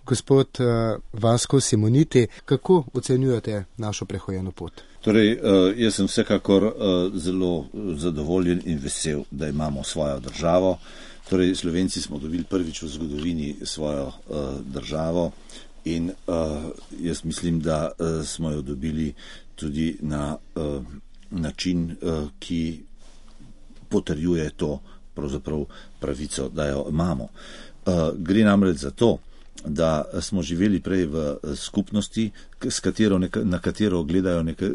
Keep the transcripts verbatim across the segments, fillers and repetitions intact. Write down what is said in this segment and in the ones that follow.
Gospod uh, Vasko Simoniti, kako ocenjujete našo prehojeno pot? Torej, jaz sem vsekakor zelo zadovoljen in vesel, da imamo svojo državo. Torej, Slovenci smo dobili prvič v zgodovini svojo državo in jaz mislim, da smo jo dobili tudi na način, ki potrjuje to pravzaprav pravico, da jo imamo. Gre namreč za to, da smo živeli prej v skupnosti, s katero, na, katero gledajo neka,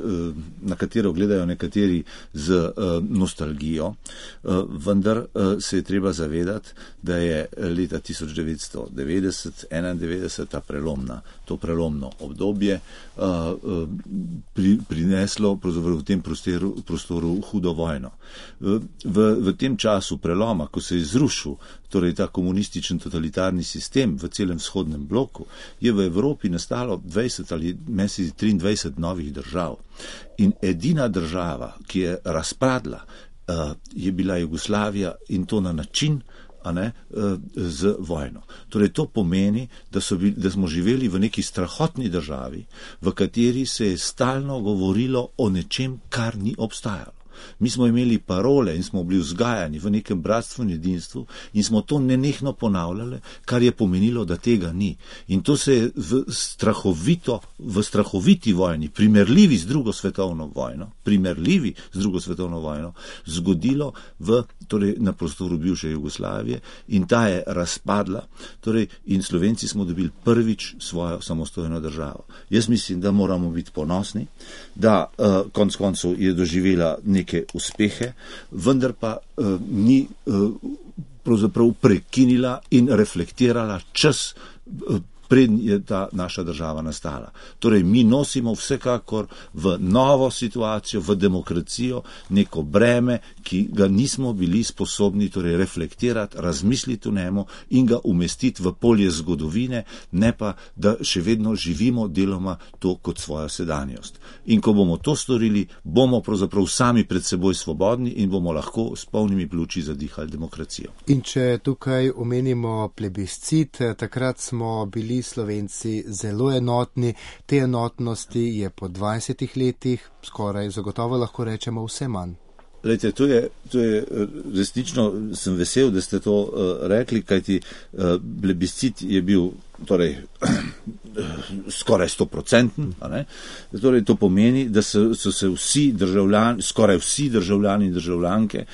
na katero gledajo nekateri z nostalgijo, vendar se je treba zavedati, da je leta tisoč devetsto devetdeset enaindevetdeset ta prelomna, to prelomno obdobje pri, prineslo v tem prostoru, prostoru hudo vojno. V, v tem času preloma, ko se je zrušil torej ta komunističen totalitarni sistem v celem vzhodnem bloku, je v Evropi nastalo dvajset ali mesec triindvajset novih držav. In edina država, ki je razpadla, je bila Jugoslavija in to na način, a ne, z vojno. Torej to pomeni, da, so bili, da smo živeli v neki strahotni državi, v kateri se je stalno govorilo o nečem, kar ni obstajalo. Mi smo imeli parole in smo bili vzgajani v nekem bratstvu in edinstvu in smo to nenehno ponavljali, kar je pomenilo, da tega ni. In to se je v, strahovito, v strahoviti vojni, primerljivi z drugo svetovno vojno, primerljivi z drugo svetovno vojno, zgodilo v, torej, na prostoru bivše Jugoslavije in ta je razpadla, torej, in Slovenci smo dobili prvič svojo samostojno državo. Jaz mislim, da moramo biti ponosni, da uh, konc koncev je doživela nekaj uspehe, vendar pa uh, ni uh, pravzaprav prekinila in reflektirala čas, uh, preden je ta naša država nastala. Torej, mi nosimo vsekakor v novo situacijo, v demokracijo, neko breme, ki ga nismo bili sposobni torej reflektirati, razmisliti o njemu in ga umestiti v polje zgodovine, ne pa, da še vedno živimo deloma to kot svojo sedanjost. In ko bomo to storili, bomo pravzaprav sami pred seboj svobodni in bomo lahko s polnimi pljuči zadihali demokracijo. In če tukaj omenimo plebiscit, takrat smo bili Slovenci zelo enotni. Te enotnosti je po dvajsetih letih skoraj zagotovo lahko rečemo vse manj. Lejte, to je, to je resnično, sem vesel, da ste to uh, rekli, kajti uh, plebiscit je bil torej skoraj stoprocenten, torej to pomeni, da so, so se vsi državljani, skoraj vsi državljani in državljanke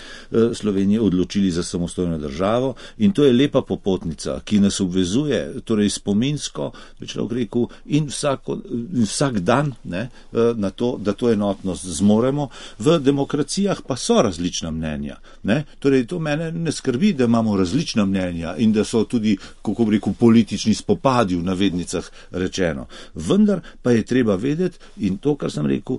Slovenije odločili za samostojno državo in to je lepa popotnica, ki nas obvezuje, torej spominsko, bi človek rekel, in, vsako, in vsak dan ne, na to, da to enotnost zmoremo. V demokracijah pa so različna mnenja. Ne? Torej to mene ne skrbi, da imamo različna mnenja in da so tudi, kako bi rekel, politični spopadi v navednicah rečeno. Vendar pa je treba vedeti, in to, kar sem rekel,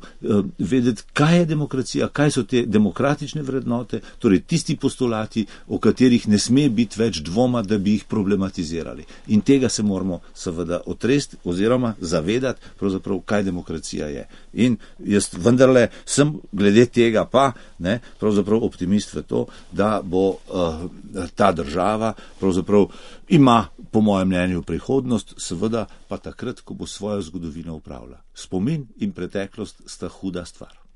vedeti, kaj je demokracija, kaj so te demokratične vrednote, torej tisti postulati, o katerih ne sme biti več dvoma, da bi jih problematizirali. In tega se moramo seveda otresti oziroma zavedati, pravzaprav, kaj demokracija je. In jaz vendarle sem glede tega pa, ne, pravzaprav optimist v to, da bo uh, ta država pravzaprav ima, po mojem mnenju, prihodnost, seveda pa takrat, ko bo svojo zgodovino upravila. Spomin in preteklost sta huda stvar.